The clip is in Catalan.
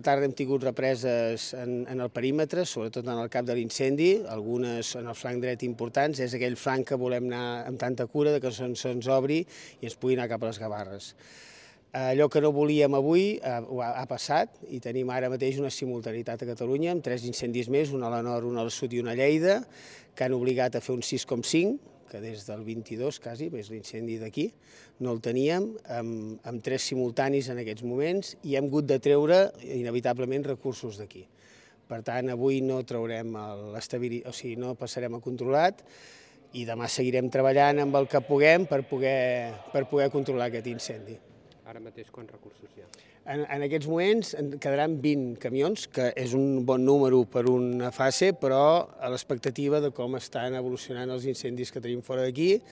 Tarda hem tingut represes en el perímetre, sobretot en el cap de l'incendi, algunes en el flanc dret importants. És aquell flanc que volem anar amb tanta cura que se'ns obri i ens pugui anar cap a les Gavarres. Allò que no volíem avui ha passat i tenim ara mateix una simultaneïtat a Catalunya amb 3 incendis més, un a la nord, un al sud i un a Lleida, que han obligat a fer un 6,5, que des del 22 quasi, és l'incendi d'aquí, no el teníem, amb 3 simultanis en aquests moments i hem hagut de treure inevitablement recursos d'aquí. Per tant, avui no traurem l'estabilitat, o sigui, no passarem a controlat i demà seguirem treballant amb el que puguem per poder controlar aquest incendi. Ara mateix quants recursos hi ha? En aquests moments en quedaran 20 camions, que és un bon número per una fase, però a l'expectativa de com estan evolucionant els incendis que tenim fora d'aquí,